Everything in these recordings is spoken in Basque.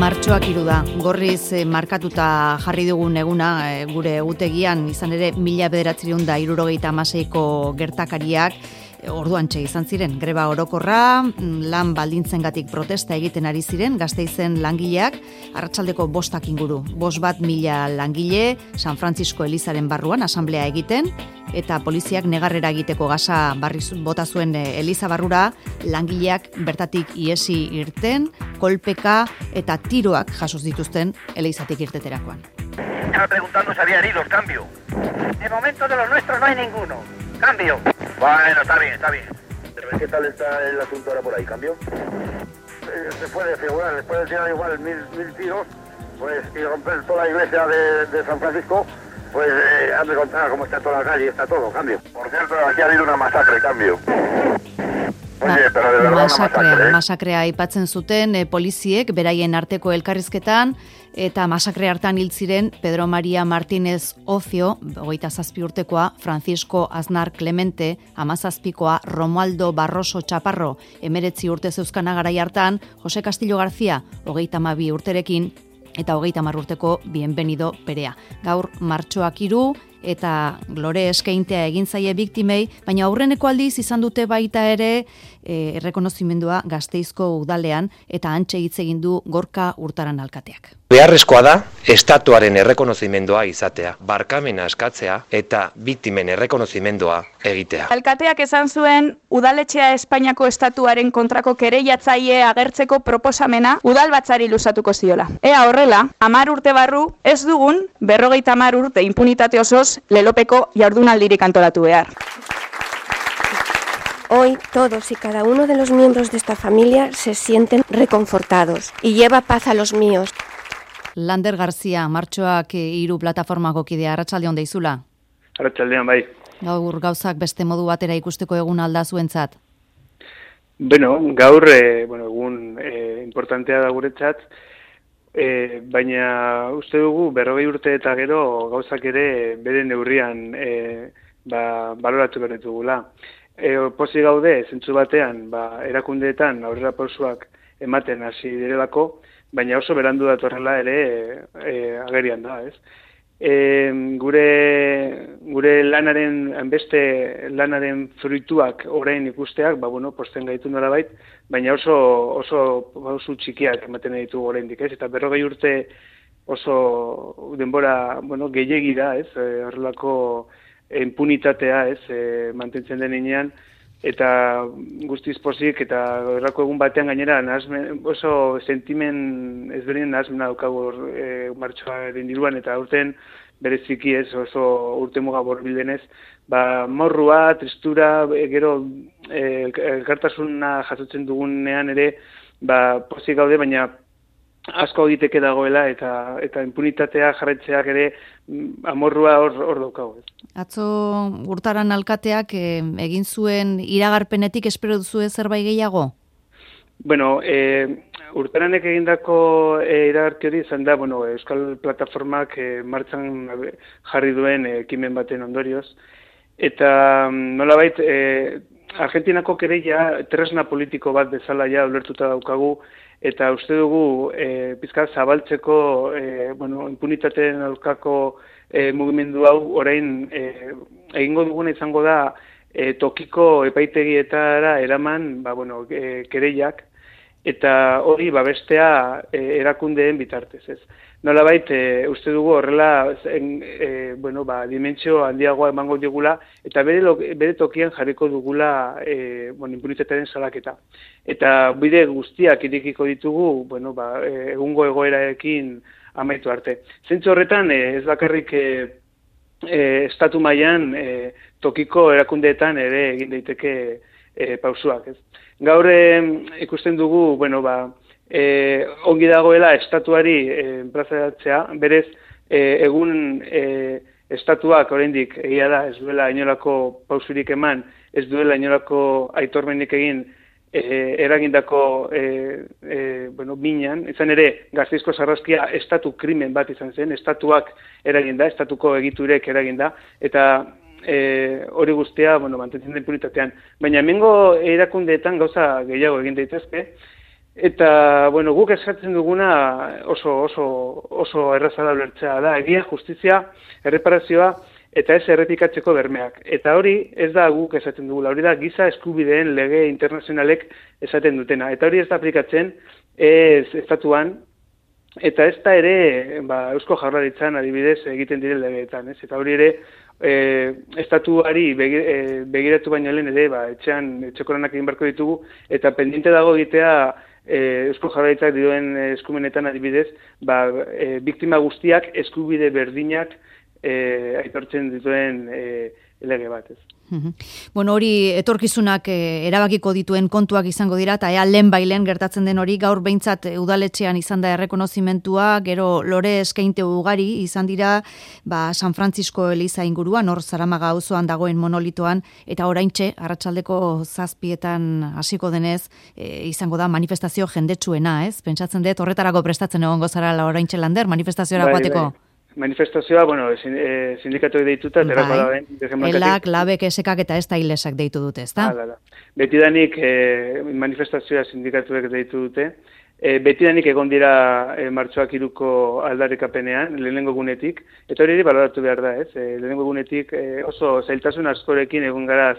Martxoak 3 da, gorriz markatuta jarri dugun eguna gure egutegian, izan ere 1976ko gertakariak orduantxe izan ziren. Greba orokorra, lan baldintzengatik protesta egiten ari ziren, Gasteizen langileak, arratsaldeko 5 inguru. 5.000 langile, San Francisco Elizaren barruan asanblea egiten, eta poliziak negarrera egiteko gasa bota zuen Eliza barrura, langileak bertatik iesi irten, kolpeka eta tiroak jasoz dituzten Elizatik irteterakoan. Estaba preguntando si había heridos, cambio. De momento de los nuestros no hay ninguno. Cambio. Bueno, está bien, está bien. ¿Qué tal está el asunto ahora por ahí? ¿Cambio? Se puede figurar, después de tirar igual mil tiros, pues y romper toda la iglesia de San Francisco, pues han de contar cómo está toda la calle, está todo, cambio. Por cierto, aquí ha habido una masacre, cambio. Oye, pero de verdad masakrea aipatzen zuten poliziek beraien arteko elkarrizketan, eta masakre hartan hil ziren Pedro María Martínez Ocio, 27 urtekoa, Francisco Aznar Clemente, 17koa, Romualdo Barroso Chaparro, 19 urte zeuzkana garai hartan, Jose Castillo García, 32 urterekin, eta 30 urteko Bienvenido Perea. Gaur martxoak 3 eta glore eskeintea egin zaie biktimei, baina aurreneko aldiz izan dute baita ere errekonozimendua Gasteizko udalean, eta antxe hitz egin du Gorka Urtaran alkateak. Beharrezkoa da estatuaren errekonozimendua izatea, barkamena eskatzea eta biktimen errekonozimendua egitea. Alkateak esan zuen udaletxea Espainiako estatuaren kontrako kereiatzaile agertzeko proposamena udalbatzari luzatuko ziola. Ea horrela, 10 urte barru ez dugun 50 urte impunitate osoz lelopeko jardunaldirik antolatu behar. Hoy todos y cada uno de los miembros de esta familia se sienten reconfortados y lleva paz a los míos. Lander García, martxoak 3 plataformako kidea, arratsaldeon deizula. Arratsaldeon bai. Gaur gauzak beste modu batera ikusteko egun alda zuentzat. Gaur egun importantea da guretzat, baina uste dugu 40 urte eta gero gauzak ere bere neurrian baloratu behar ditugula. Pozik gaude, zentzu batean, erakundeetan aurrera pausuak ematen hasi direlako, baina oso berandu datorrela ere agerian da, ez? Gure lanaren, beste lanaren fruituak orain ikusteak, posten gaitu nolabait, baina oso pausu txikiak ematen ditugu oraindik, ez? Eta 40 urte oso denbora, gehiegi da, ez? Horrelako impunitatea, ez? Mantentzen denean, eta guztiz pozik, eta horrako egun batean gainera oso sentimen ezberdinen nahazmena daukagu martxoaren inguruan, eta urten bereziki ez oso urte muga borbildenez, morrua, tristura, gero elkartasuna jasotzen dugunean ere, pozik gaude, baina asko egiteke dagoela, eta impunitatea jarraitzeak ere amorrua hor daukagu. Atzo Urtaran alkateak egin zuen iragarpenetik espero duzu zerbait gehiago? Urtaranek egindako iragarki hori izan da, Euskal Plataformak martxan jarri duen ekimen baten ondorioz, eta nolabait Argentinako kereia tresna politiko bat bezala ja ulertuta daukagu, eta uste dugu pizkat zabaltzeko impunitateen aurkako mugimendu hau orain egingo duguna izango da tokiko epaitegietara eraman kereiak, eta hori babestea erakundeen bitartez, ez. Nolabait, uste dugu horrela dimentsio handiagoa emango digula, eta bere tokian jarriko dugula impunitatearen salaketa. Eta bide guztiak irekiko ditugu, egungo egoerarekin amaitu arte. Zentzu horretan, ez bakarrik estatu mailan tokiko erakundeetan ere egin daiteke pausuak, ez. Gaur ikusten dugu, ongi dagoela estatuari enplazatzea, berez egun estatuak oraindik egia da ez duela inolako pausurik eman, ez duela inolako aitormenik egin eragindako minan, izan ere Gasteizko sarraskia estatu krimen bat izan zen, estatuak eraginda, estatuko egiturek eraginda, eta hori guztia mantentzen da impunitatean. Baina hemengo erakundeetan gauza gehiago egin daitezke, Eta, bueno, guk eskatzen duguna oso erraza da ulertzea da, egia, justizia, erreparazioa, eta ez errepikatzeko bermeak. Eta hori ez da guk esaten dugula, hori da giza eskubideen lege internazionalek esaten dutena. Eta hori ez da aplikatzen estatuan, eta ez da ere Eusko Jaurlaritzan adibidez egiten diren legeetan. Eta hori ere estatuari begiratu baino lehen ere etxeko lanak egin beharko ditugu, eta pendiente dago egitea Eusko Jaurlaritzak dioen eskumenetan adibidez, biktima guztiak eskubide berdinak aitortzen dituen lege bat, ez. Bueno, hori etorkizunak erabakiko dituen kontuak izango dira, eta lehen gertatzen den hori, gaur behintzat udaletxean izan da errekonozimentua, gero lore eskainte ugari izan dira, San Francisco Eliza inguruan, hor Zaramaga auzoan dagoen monolitoan, eta oraintxe, arratsaldeko 7:00 hasiko denez, izango da manifestazio jendetsuena, ez? Pentsatzen dut, horretarako prestatzen egongo zarala oraintxe Lander, manifestazioa joateko. Manifestazioa, sindikatuek deituta, terako da den. Elak, labek, esekak eta ez da hilesak deitu dute, ez da? Betidanik manifestazioa sindikatuek deitu dute. Betidanik egon dira martxoak 3ko aldarrikapenean, lehenengo gunetik, eta hori baloratu behar da, ez? Lehenengo gunetik oso zailtasun askorekin egon gara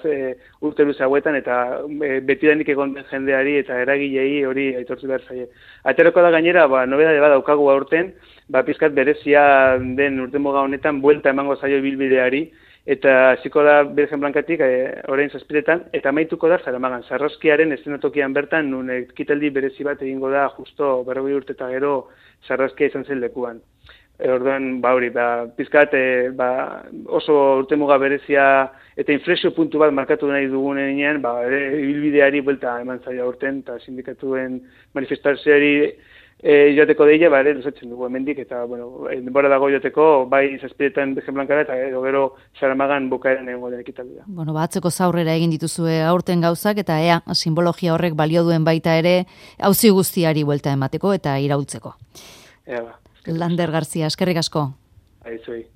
urte luze hauetan, eta betidanik egon den jendeari eta eragilei hori aitortu behar zaie. Aterako da gainera, nobedade badaukagu aurten, pizkat berezia den urtemuga honetan buelta emango zaio ibilbideari, eta hasiko da Birgen Blankatik orain 7:00 eta amaituko da Zaramagan. Sarraskiaren eszenatokian bertan, nun ekitaldi berezi bat egingo da justo 40 urte eta gero sarraskia izan zen lekuan. Orduan, pizkat oso urtemuga berezia eta inflexio puntu bat markatu nahi dugunean, ibilbideari buelta eman zaio aurten, eta sindikatuen manifestazioari joateko deia, ere luzatzen dugu hemendik, eta, denbora dago joateko, bai 7:00 Birgen Blankara, eta gero Zaramagan bukaeran egongo den ekitaldia. Atzeko zaurrera egin dituzue aurten gauzak, eta simbologia horrek balio duen baita ere, auzi guztiari buelta emateko eta iraultzeko. Lander Garzia, eskerrik asko. Aizuei.